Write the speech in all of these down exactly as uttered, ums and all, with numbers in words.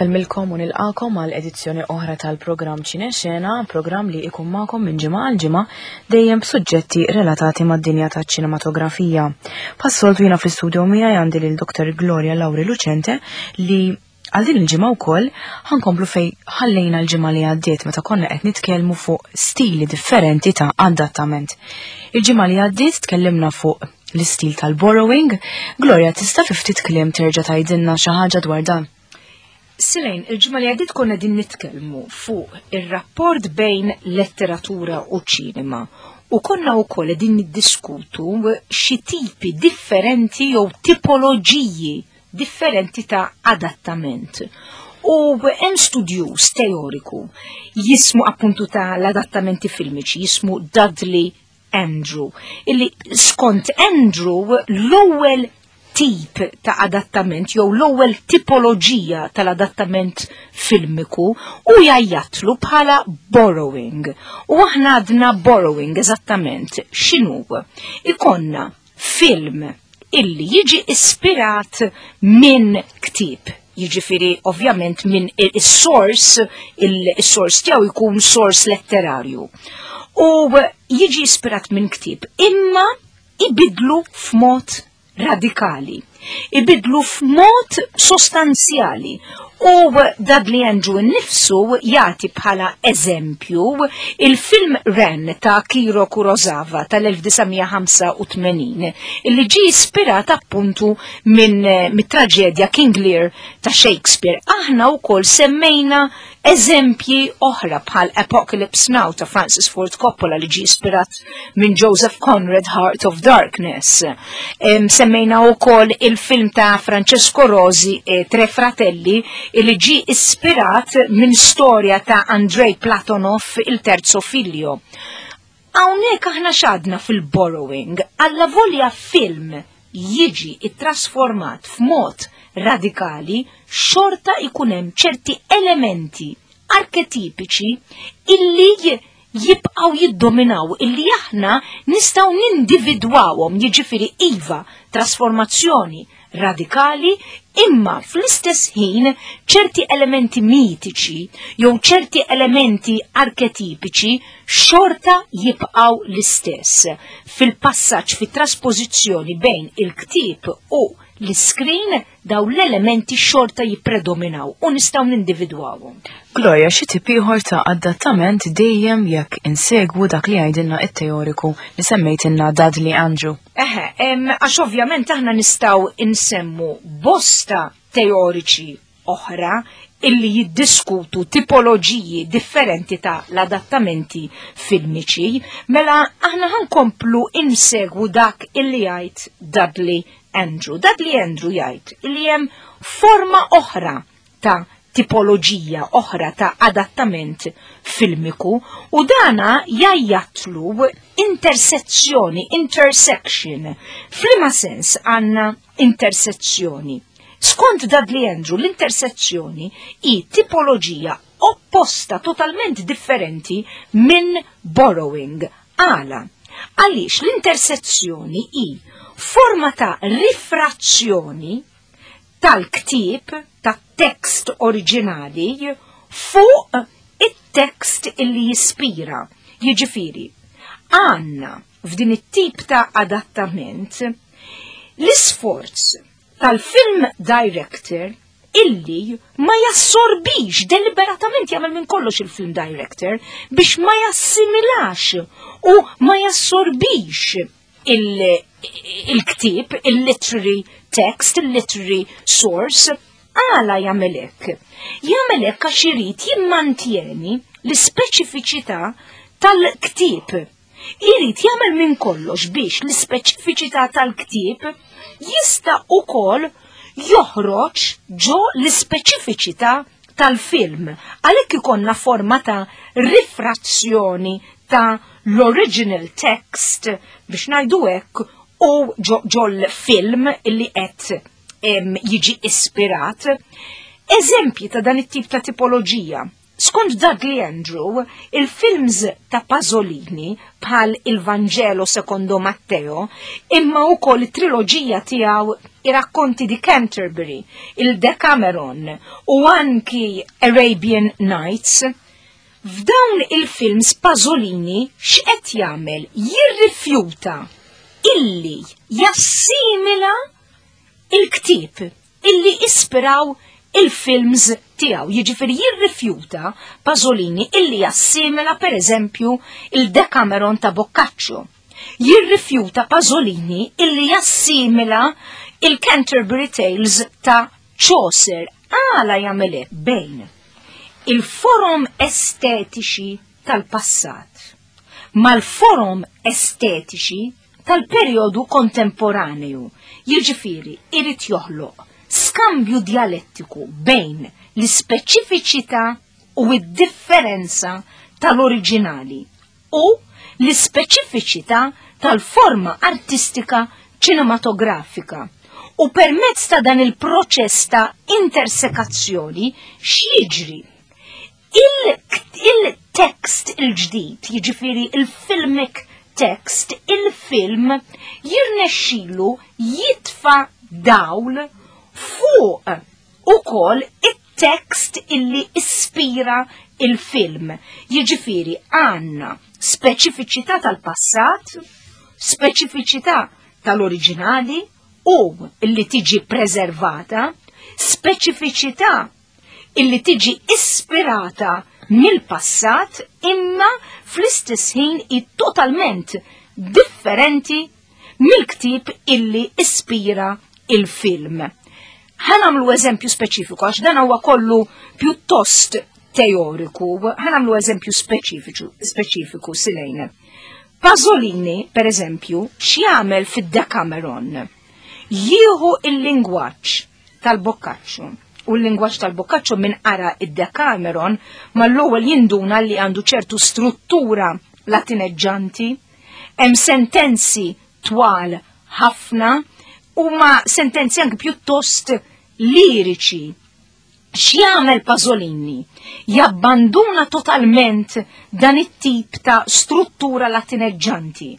Insellmilkom u nilqakom għal edizzjoni oħra tal-programm Ċinexena, programm li ikun magħkom minn ġimgħa għal ġimgħa dejjem b'suġġetti relatati mad-dinja taċ-ċinematografija. Bħas-soltu, jiena fl-istudio miegħi għandi lil Doktor Gloria Lauri Lucente, li għal din il-ġimgħa wkoll ħa nkomplu fej ħallejna l-ġimgħa li għaddiet, meta konna qed nitkellmu fuq stili differenti ta' adattament. Il-ġimgħa li għaddiet tkellimna fuq l-istil tal-borrowing. Gloria, tista' fi ftit kliem terġa' tgħidilna xi ħaġa dwar dan? Silejn, il-ġimgħa li għaddiet konna din nitkellmu fuq ir-rapport bejn letteratura u ċinema u konna wkoll din niddiskutu xi tipi differenti jew tipoloġiji differenti ta' adattament. U hemm studjuż teoriku jismu, appuntu, ta' l-adattamenti filmiċi, jismu Dudley Andrew, illi skont Andrew l-ewwel tip ta' adattament jew l-ewwel tipoloġija tal-adattament filmiku u jgħajjatlu bħala borrowing. U aħna għadna borrowing eżattament x'inhu? Ikollna film illi jiġi ispirat minn ktib. Jiġifieri, ovvjament, minn il-source, il-source tiegħu jkun source letterarju. U jiġi ispirat minn ktib, imma ibidlu f'mod radikali. Ibidlu f'mod sostanzjali. U Dudley Andrew nnifsu jagħti bħala eżempju il-film Ran ta' Akira Kurosawa tal-elf disa' mija ħamsa u tmenin, illi ġi ispirat appuntu minn mit-traġedja King Lear ta' Shakespeare. Aħna wkoll semmejna eżempji oħra bħal Apocalypse Now ta' Francis Ford Coppola, li ġi ispirat minn Joseph Conrad, Heart of Darkness. Em, semmejna wkoll il-film ta' Francesco Rosi, e Tre Fratelli, li ġi ispirat minn storja ta' Andrei Platonov, Il Terzo Figlio. Hawnhekk aħna x'għadna fil-borrowing, alla volja film jiġi ittrasformat f'mod radikali, xorta ikun hemm ċerti elementi arketipiċi illi jibqaw jiddominaw, illi aħna nistgħu nindividwawhom. Jiġifieri, iva, trasformazzjoni radikali, imma fl-istess ħin ċerti elementi mitiċi jew ċerti elementi arketipiċi xorta jibqaw l-istess. Fil-passaġġ, fit-trasposizzjoni bejn il-ktib u l-screen, daw l-elementi xorta jippredominaw u nistgħu nindividwawhom. Gloria, xi tip ieħor ta' adattament, dejjem jekk insegwu dak li jgħidilna it-teoriku li semmejtilna, Dudley Andrew? Eħe, em, għax ovvjament aħna nistgħu insemmu bosta teoriċi oħra illi jiddiskutu tipoloġiji differenti ta' l-adattamenti filmiċi, mela aħna ħa nkomplu insegwu dak illi jgħid Dudley Andrew. Dudley Andrew jgħid illi hemm forma oħra ta' tipoloġija oħra ta' adattament filmiku u dana jgħajjatlu intersezzjoni, intersection. F'liema sens għandna intersezzjoni? Skont Dudley Andrew, l-intersezzjoni hi tipoloġija opposta, totalment differenti minn borrowing. Għala? Għaliex l-intersezzjoni hi forma ta' rifrazzjoni tal-ktib, tat-tekst oriġinali, fuq it-tekst illi jispira. Jiġifieri, għandna f'din it-tip ta' adattament l-isforz tal-film director illi ma jassorbix deliberatament, jagħmel minn kollox il-film director biex ma jassimilax u ma jassorbix il-ktib, il-literary text, il-literary source. Għala jagħmel hekk? Jagħmel hekk għax irid jimmantjeni l-ispeċifiċità tal-ktib. Irid jagħmel minn kollox biex l-ispeċifiċità tal-ktib jista' ukoll joħroġ ġo l-ispeċifiċità tal-film. Għalhekk ikollna forma ta' rifrazzjoni ta' l-original text, biex ngħidu hekk, u ġol film illi qed jiġi ispirat. Eżempji ta' dan it-tip ta' tipoloġija: Skont Dudley Andrew, il-films ta' Pasolini bħal Il Vangelo secondo Matteo, imma wkoll it-triloġija tiegħu, I Racconti di Canterbury, il Decameron u anki Arabian Nights, f'dawn il-films Pasolini x'qed jagħmel? Jirrifjuta illi jassimila il-ktieb illi ispiraw il-films tiegħu. Jiġifieri jirrifjuta Pasolini illi jassimila, per eżempju, il Decameron ta' Boccaccio. Jirrifjuta Pasolini illi jassimila il Canterbury Tales ta' Chaucer. Għala jagħmel bejn il-forom estetiċi tal-passat mal-forom estetiċi tal-perjodu kontemporaneu? Jiġifieri irid joħloq skambju dialettiku bejn l-ispeċifiċità u id-differenza tal-oriġinali u l-ispeċifiċità tal-forma artistika ċinematografika. U permezz ta' dan il-proċess ta' intersekazzjoni x'jiġri? Il-tekst il-ġdid, jiġifieri il-filmic text, il-film jirnexxilu jitfa' dawl fuq ukoll it-tekst illi ispira il-film. Jiġifieri għandna speċifiċità tal-passat, speċifiċità tal-oriġinali u illi tiġi preservata, speċifiċità illi tiġi ispirata mill-passat, imma fl-istess ħin i totalment differenti mill-ktib illi ispira il-film. Ħa nagħmlu eżempju speċifiku, għax dan huwa kollu pjuttost teoriku, ħa nagħmlu eżempju speċifiku, speċifiku silejn. Pasolini, per eżempju, x'jagħmel fid-Decameron? Jieħu il-lingwaġġ tal-Boccaccio. U l-lingwaġġ tal-Boccaccio, minn qara id-Decameron mal-ewwel jinduna li għandu ċertu struttura latineġġanti, hemm sentenzi twal ħafna, huma sentenzi anke pjuttost liriċi. X'jagħmel Pasolini? Jabbanduna totalment dan it-tip ta' struttura latineġġanti,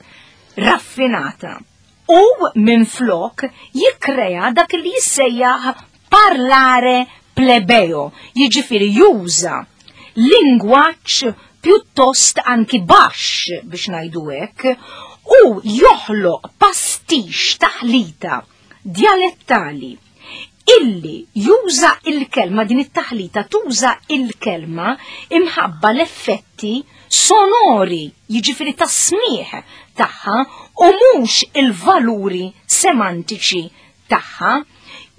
raffinata, u minn flok jikkrea dak li jissejjaħ parlare plebeo, jiġifieri juża lingwaġġ pjuttost anki baxx, biex ngħidu hekk, u joħloq pastix, taħlita dialettali illi juża il-kelma, din it-taħlita tuża il-kelma imħabba l-effetti sonori, jiġifieri tas-smieħ tagħha, u mhux il-valuri semantiċi tagħha.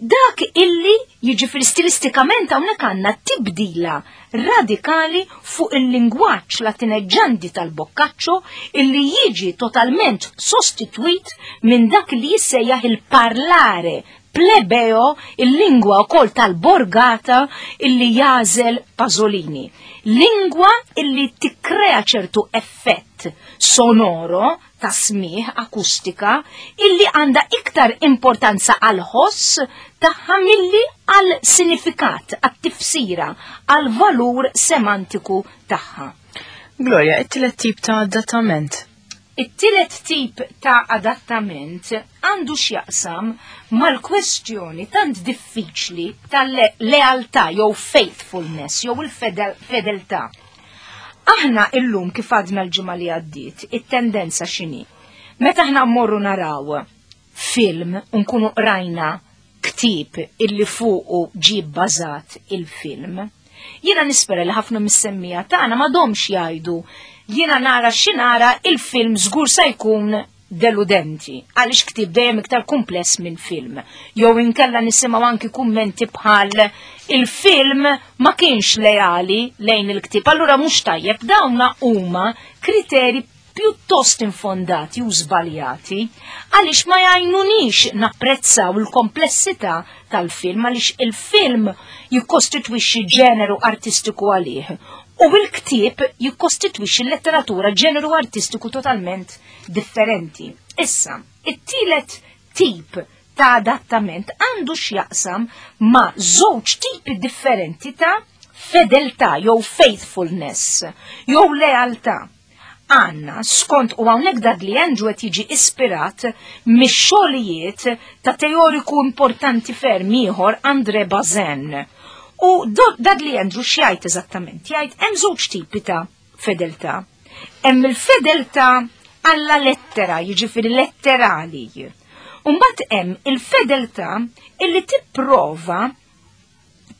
Dak illi jiġifieri stilistikament hawnhekk għandna tibdila radikali fuq il-lingwaġġ latineġġanti tal-Boccaccio illi jiġi totalment sostitwit minn dak li jissejjaħ il-parlare plebeo, il-lingwa wkoll tal-borgata illi jagħżel Pasolini. Lingwa illi tikkrea ċertu effett sonoro ta' smieħ, akustika, illi għandha iktar importanza għal ħoss tagħha milli għal sinifikat, għat tifsira, għal valur semantiku tagħha. Gloria, it-tielet tip ta' adattament. It-tielet tip ta' adattament għandu x'jaqsam mal-kwestjoni tant diffiċli tal-lealtà jew faithfulness jew il-fedeltà. Aħna illum, kif għadna l-ġimgħa li għaddiet, it-tendenza x'inhi? Meta aħna mmorru naraw film u nkunu qrajna ktieb illi fuqu ġie bbażat il-film, jiena nispera li ħafna mis-semmiegħa tagħna m'għadhomx jgħidu: "Jiena nara x'nara, il-film żgur se jkun deludenti, għaliex ktib dejjem iktar kumpless minn film." Jew inkella nisimgħu anki kummenti bħal: "Il-film ma kienx leali lejn il-ktib, allura mhux tajjeb." Dawna huma kriteri pjuttost infondati u żbaljati, għaliex ma jgħinunix napprezzaw il-komplessità tal-film, għaliex il-film jikkostitwixxi ġeneru artistiku għalih u il-ktieb jikkostitwixxi l-letteratura, ġeneru artistiku totalment differenti. Issa, it-tielet tip ta' adattament għandu x'jaqsam ma' żewġ tipi differenti ta' fedeltà jew faithfulness jew lealtà. Għanna, skont u hawnhekk Dudley Andrew qed jiġi ispirat mix-xogħlijiet ta' teoriku importanti ferm ieħor, André Bazin. U Dudley Andrew x'jgħid eżattament? Jgħid hemm żewġ tipi ta' fedeltà. Hemm il-fedeltà alla lettera, jiġifieri letterali. Mbagħad hemm il-fedeltà illi tipprova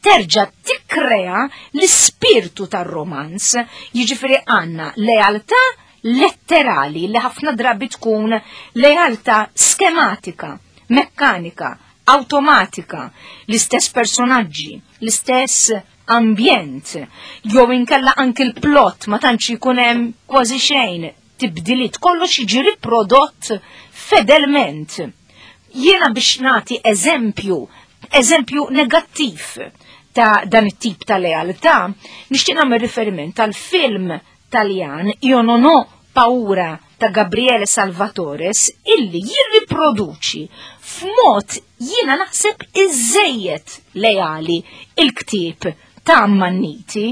terġa' tikkrea l-ispirtu tar-romanz, jiġifieri għandna lealtà letterali li ħafna drabi tkun lealtà skematika, mekkanika, automatika, l-istess personaġġi, l-istess ambjent, jew inkella anki l-plot ma tantx ikun hemm kważi xejn tibdiliet, kollox jiġi riprodott fedelment. Jiena biex nagħti eżempju, eżempju negattiv ta' dan it-tip ta' lealtà, nixtieq nagħmel riferiment tal-film Taljan Io non ho paura ta' Gabriele Salvatores, illi jirriproduċi f'mod jiena naħseb iżejjed leali il-ktieb ta' Ammanniti.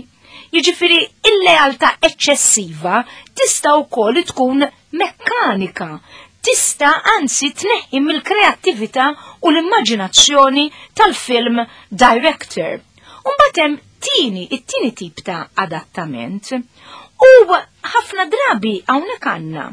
Jiġifieri il-lealtà eċċessiva tista' wkoll tkun mekkanika, tista' anzi tneħħi mill-kreattività u l-immaġinazzjoni tal-film director. Mbagħad hemm tieni, it-tieni tip ta' adattament, u ħafna drabi hawnhekk għandna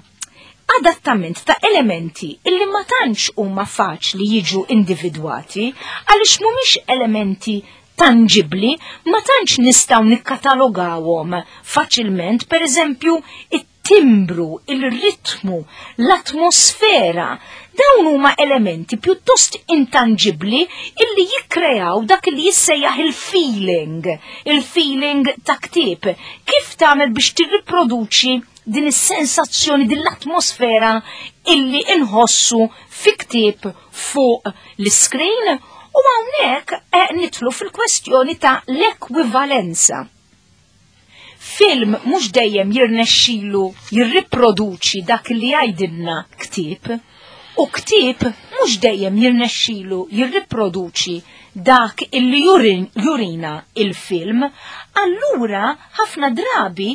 adattament ta' elementi illi ma tantx huma faċli jiġu individwati għaliex mhumiex elementi tangibli, ma tantx nistgħu nikkatalogawhom faċilment, per eżempju, it-timbru, il-ritmu, l-atmosfera. Dawn huma elementi pjuttost intangibli illi jikkreaw dak li jissejjaħ il-feeling, il-feeling ta' ktieb. Kif tagħmel biex tirriproduċi din is-sensazzjoni, din l-atmosfera illi inħossu fi ktieb fuq l-screen? U hawnhekk eh, nidħlu fil-kwestjoni ta' l-ekwivalenza. Film mhux dejjem jirnexxilu jirriproduċi dak li jgħidilna ktieb, u ktieb mhux dejjem jirnexxilu jirriproduċi dak illi jurin, jurina il-film. Allura ħafna drabi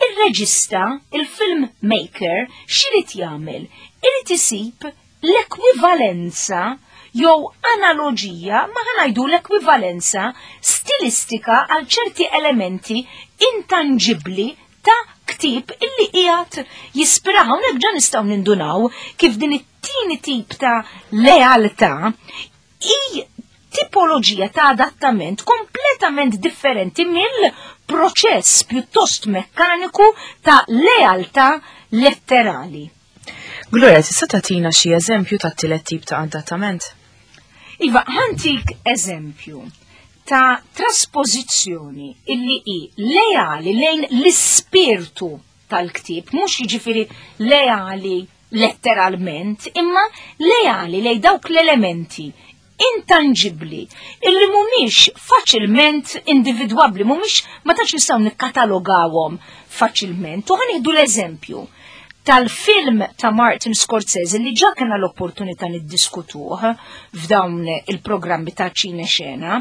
il-reġista, il-film maker, x'irid jagħmel? Irid isib l-ekwivalenza jew analogija, ma ħa ngħidu l-ekwivalenza stilistika għal ċerti elementi intangibli ta' ktieb illi qiegħed jispiraw. Hawnhekk ġa nistgħu nindunaw kif din it-tieni tip ta' lealtà hi tipoloġija ta' adattament kompletament differenti mill-proċess pjuttost mekkaniku ta' lealtà letterali. Gloria, tista' tagħtina xi eżempju ta' tielet tip ta' adattament? Iva, ħa ntik eżempju ta' traspożizzjoni illi hi leali lejn l-ispirtu tal-ktieb, mhux jiġifieri leali letteralment, imma leali lejn dawk l-elementi intangibli illi mhumiex faċilment individwabbli, mhumiex, ma tantx nistgħu nikkatalogawhom faċilment. U ħa nieħdu l-eżempju tal-film ta' Martin Scorsese li ġa kena l-opportunità niddiskutuh f'dawn il-programmi ta' Ċine Xena.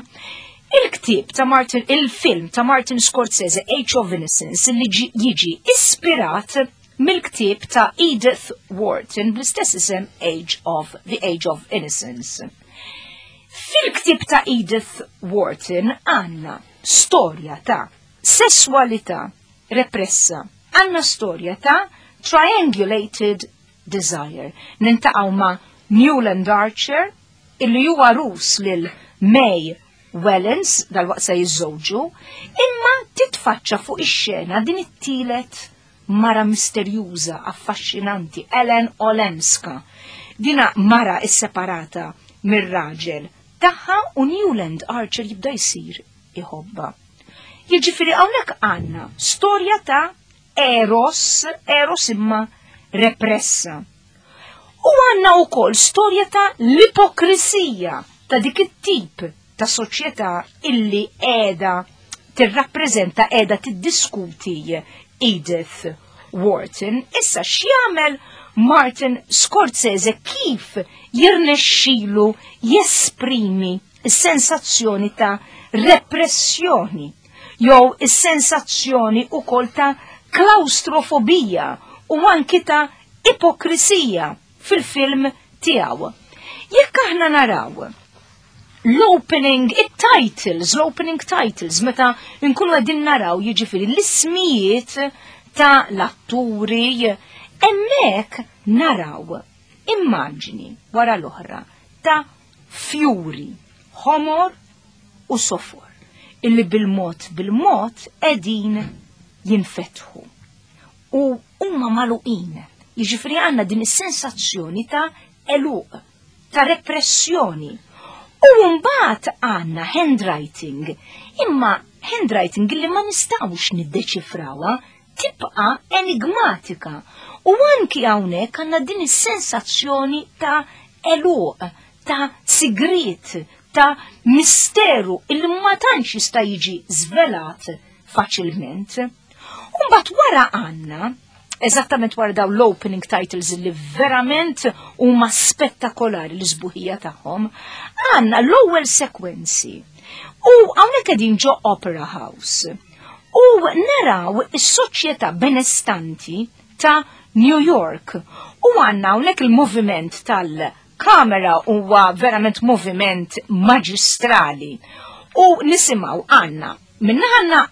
Il-ktieb ta' Martin, il-film ta' Martin Scorsese, Age of Innocence, li jiġi ispirat mill-ktieb ta' Edith Wharton bl-istess isem, Age of The Age of Innocence. Fil-ktieb ta' Edith Wharton għandna storja ta' sessualità repressa, għandna storja ta' triangulated desire. Niltaqgħu ma' Newland Archer, illi huwa għarus lil May Wellens, dal-waqt se jiżżewġu, imma titfaċċa fuq ix-xena din it-tielet mara misterjuża, affaxxinanti, Ellen Olenska. Dina mara isseparata mir-raġel tagħha u Newland Archer jibda jsir iħobba. Jiġifieri hawnhekk għandna storja ta' Eros, Eros imma repressa. U għandna wkoll storja ta' l-ipokrisija ta' dik it-tip ta' soċjetà illi qiegħda tirrappreżenta, qiegħda tiddiskuti Edith Wharton. Issa x'jagħmel Martin Scorsese? Kif jirnexxilu jesprimi s-sensazzjoni ta' repressjoni? jew is-sensazzjoni ukoll ta' klaustrofobija u anki ta' ipokrisija fil-film tiegħu. Jekk aħna naraw l-opening it-titles, l-opening titles, meta nkunu qegħdin naraw jiġifieri l-ismijiet ta' l-atturi, hemmhekk naraw immaġni wara l-oħra ta' fjuri, ħomor u sofor, illi bil-mod bil-mod qegħdin jinfetħu. U huma magħluqin. Jiġifieri għandna din is-sensazzjoni ta' eluq, ta' repressjoni. U mbagħad għandna handwriting, imma handwriting li ma nistgħux niddeċifrawha, tibqa' enigmatika. U anki hawnhekk għandna din is-sensazzjoni ta' eluq, ta' sigriet, ta' misteru illi ma tantx jista' jiġi żvelat faċilment. U mbagħad wara għandna, eżattament wara daw l-opening titles li verament huma spettakolari l-isbuħija tagħhom, għandna l-ewwel sekwenzi. U hawnhekk qegħdin ġo Opera House. U naraw is-soċjetà benestanti ta' New York. U għandna hawnhekk il-moviment tal-kamera huwa verament moviment maġistrali. U nisimgħu għandna minna għandna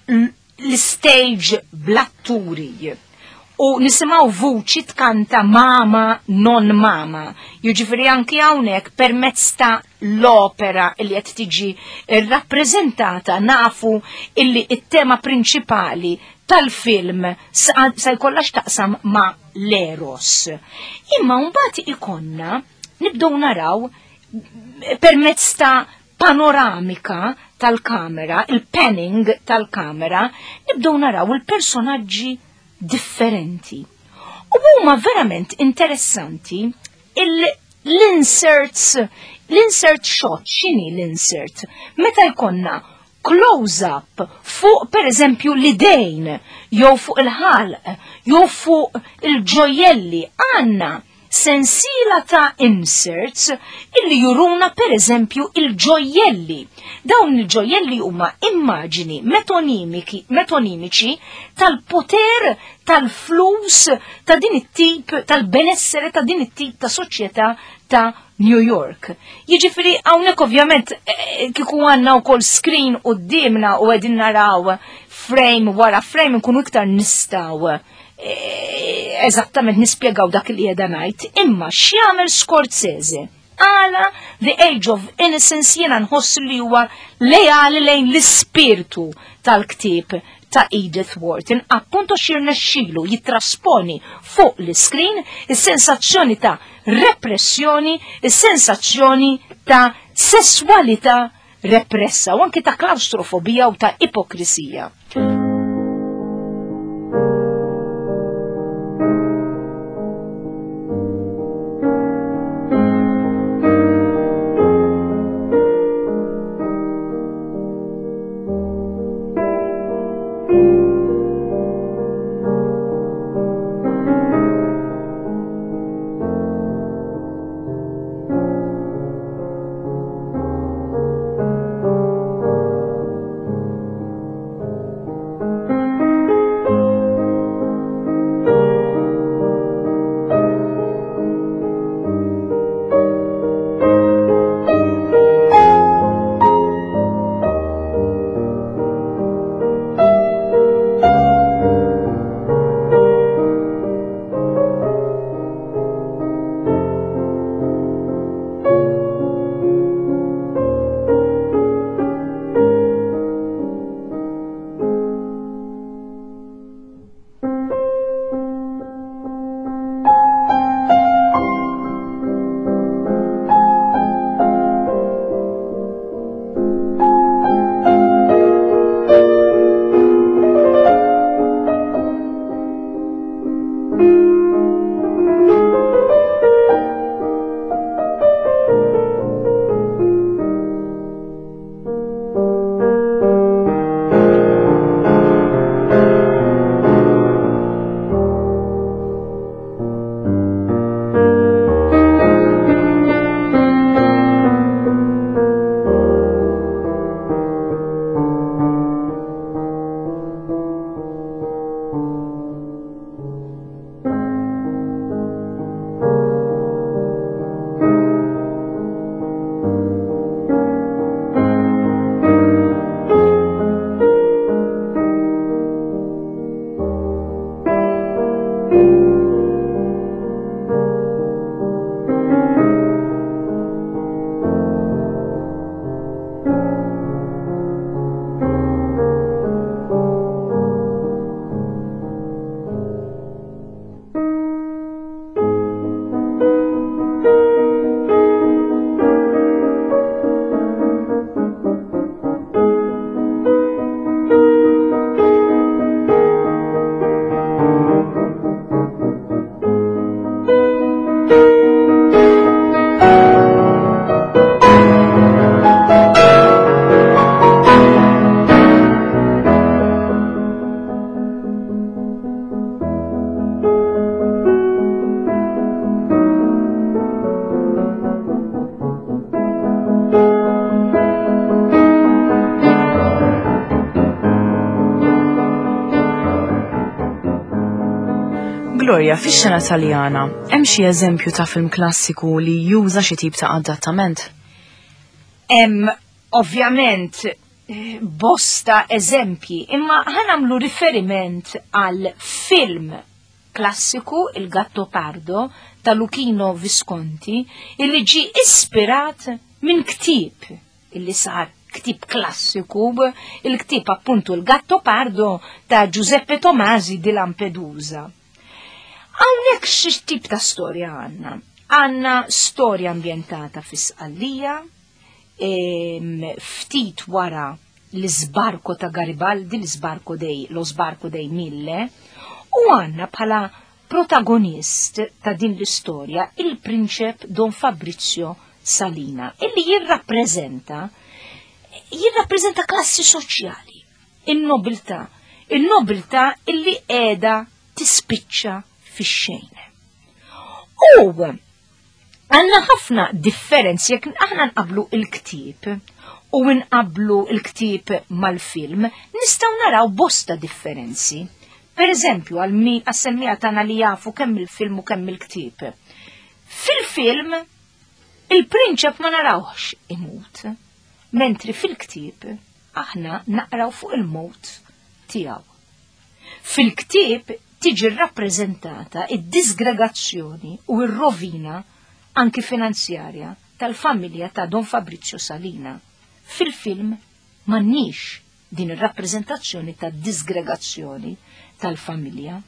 l-stage bl-atturi. U nisimgħu vuċi tkanta mama non mama. Jiġifieri anki hawnhekk permezz ta' l-opera li qed tiġi rrappreżentata nafu illi it-tema prinċipali tal-film sa jkollha x'taqsam ma' l-eros. Imma mbagħad ikonna nibdew naraw permezz ta' panoramika tal-kamera, il-panning tal-kamera, nibdew naraw il-personaġġi differenti. U huma verament interessanti l-inserts, l-insert shot, x'inhi l-insert? Meta jkollna close-up fuq per eżempju l-idejn, jew fuq il-ħalq, jew fuq il-ġojelli, għandna sensiela ta' inserts illi juruna per eżempju il-ġojelli. Dawn il-ġojelli huma immaġini metonimiki, metonimiċi tal-poter, tal-flus, ta' din it-tip, tal-benessere ta' din it-tip ta' soċjetà ta' New York. Jiġifieri hawnhekk ovvjament kieku għandna wkoll screen quddiemna u qegħdin naraw frame wara frame nkunu iktar nistgħu eżattament nispjegaw dak li qiegħda ngħid, imma x'jagħmel Scorsese? Għala The Age of Innocence jiena nħoss li huwa lejali lejn l-ispirtu tal-ktieb ta' Edith Wharton, appunto x'irnexxielu jittrasponi fuq l-iskrin is-sensazzjoni ta' repressjoni, is-sensazzjoni ta' sesswalità repressa u anke ta' klaustrofobija u ta' ipokrisija. Gloria, fix-xena Taljana, hemm xi eżempju ta' film klassiku li juża xi tip ta' adattament? Hemm ovvjament bosta eżempji, imma ħa nagħmlu riferiment għal film klassiku Il Gattopardo ta' Luchino Visconti, illi ġi ispirat minn ktieb illi sar ktieb klassiku, il-ktieb appuntu Il Gattopardo ta' Giuseppe Tomasi di Lampedusa. Hawnhekk xi tip ta' storja għandna? Għandna storja ambjentata fi Sqallija, ftit wara l-isbarko ta' Garibaldi, l-isbarko dei, lo sbarco dei Mille, u għandna bħala protagonist ta' din l-istorja il-prinċep Don Fabrizio Salina, illi jirrappreżenta jirrappreżenta klassi soċjali, in-nobiltà, in-nobiltà illi qiegħda tispiċċa fix-xejn. U għandna ħafna differenzi jekk aħna nqablu il-ktieb u nqablu il-ktieb mal-film, nistgħu naraw bosta differenzi. Per eżempju, għal min għas-semmiegħa tagħna li jafu kemm il-film u kemm il-ktieb. Fil-film, il-prinċep ma narawx imut, mentri fil-ktieb aħna naqraw fuq il-mot tiegħu. Fil-ktieb tiġi rappreżentata id-disgregazzjoni u r-rovina anki finanzjarja tal-familja ta' Don Fabrizio Salina. Fil-film m'għandniex din ir-rappreżentazzjoni ta' disgregazzjoni tal-familja.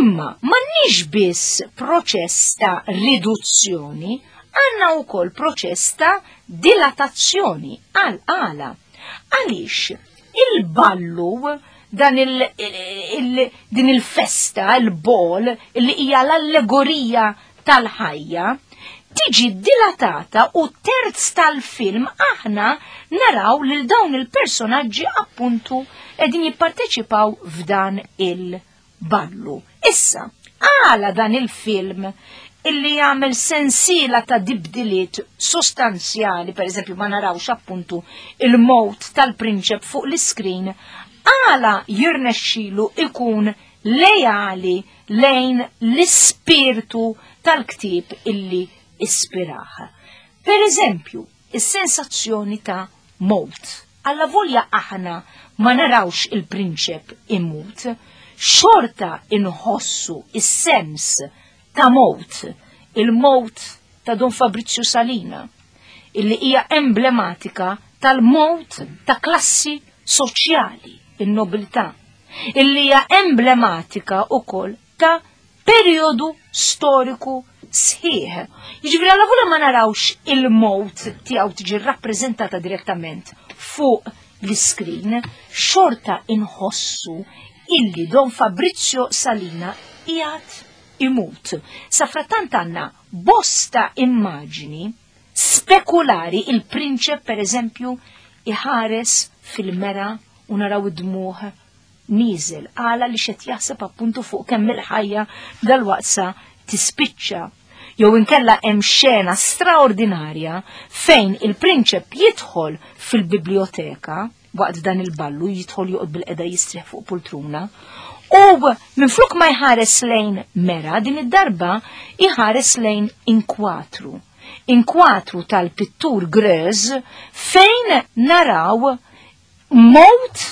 Imma m'għandniex biss proċess ta' riduzzjoni, għandna wkoll proċess ta' dilatazzjoni għal għala. Għaliex il-ballu dan il, il, din il-festa, il-ball, li hija l-allegorija tal-ħajja, tiġi dilatata u terz tal-film aħna naraw lil dawn il-personaġġi appuntu qegħdin jipparteċipaw f'dan il-ballu. Issa, għala dan il-film illi jagħmel sensiela ta' tibdiliet sostanzjali, per eżempju ma narawx appuntu il-mot tal-prinċep fuq l-iskrin, għala jirnexxilu ikun lejali lejn l-ispirtu tal-ktieb illi ispiraħ. Per eżempju, is-sensazzjoni ta' mot. Alla volja aħna ma narawx il-prinċep imut, xorta inħossu is-sens ta' mot, il-mot ta' Don Fabrizio Salina, illi hija emblematika tal-mot ta' klassi soċjali, il-nobiltà, illi hija emblematika ukoll ta' periodu storiku sħiħ. Jiġifieri alla volja ma narawx il-mot tiegħu tiġi rappreżentata direttament fuq l-iskrin, xorta inħossu illi Don Fabrizio Salina qiegħed imut. Safrattant għandna bosta immaġini spekulari, il-prinċep per eżempju iħares fil-mera u naraw id-dmuħ niżel, għala li xed jaħseb appuntu fuq kemm il-ħajja dal-waqsa tispiċċa. Jew inkella hemm xena straordinarja fejn il-prinċep jidħol fil-biblioteka waqt dan il-ballu, jidħol joqgħod bil-qeda jistrieħ fuq poltruna, u minflok ma jħares lejn mera, din id-darba jħares lejn inkwatru. Inkwatru tal-pittur Grez fejn naraw mot,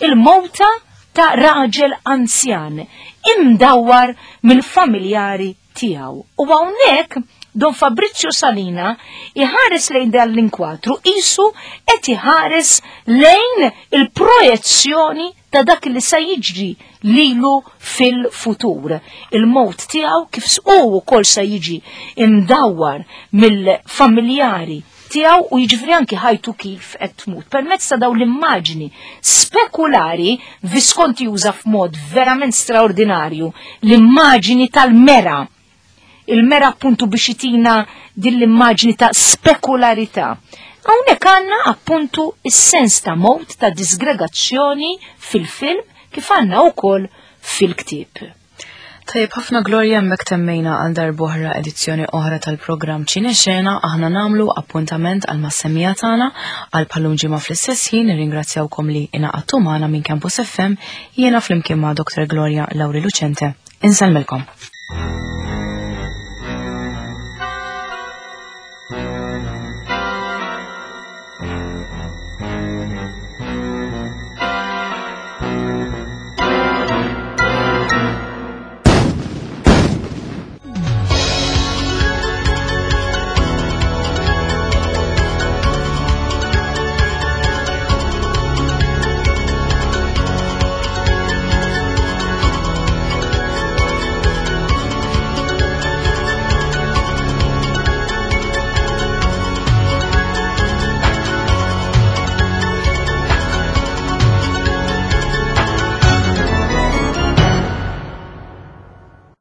il-mowta ta' raġel anzjan imdawwar mill-familjari tiegħu. U hawnhekk Don Fabrizio Salina iħares lejn dan l-inkwatru isu qed iħares lejn il-projezzjoni ta' dak li sa jiġri lilu fil-futur. Il-mowt tiegħu kif hu wkoll sa jiġi imdawwar mill-familjari tiegħu u jiġifieri anki ħajtu kif qed tmut. Permezz ta' dawn l-immaġni spekulari Visconti juża f'mod verament straordinarju l-immaġni tal-mera. Il-mera appuntu biex itina din l-immaġni ta' spekularità. Hawnhekk għandna appuntu is-sens ta' mot ta' disgregazzjoni fil-film kif għandna wkoll fil-ktieb. Tajjeb ħafna, Gloria, hemmhekk temmejna għal darb'oħra edizzjoni oħra tal-programm Ċinexena. Aħna nagħmlu appuntament għal mas-semmiegħa tagħna għal bħal-lum ġimgħa fl-istess ħin. Nirringrazzjawkom li ingħaqadtu magħna. Minn Campus F M, jiena flimkien ma' Doctor Gloria Lauri Lucente. Insellmilkom.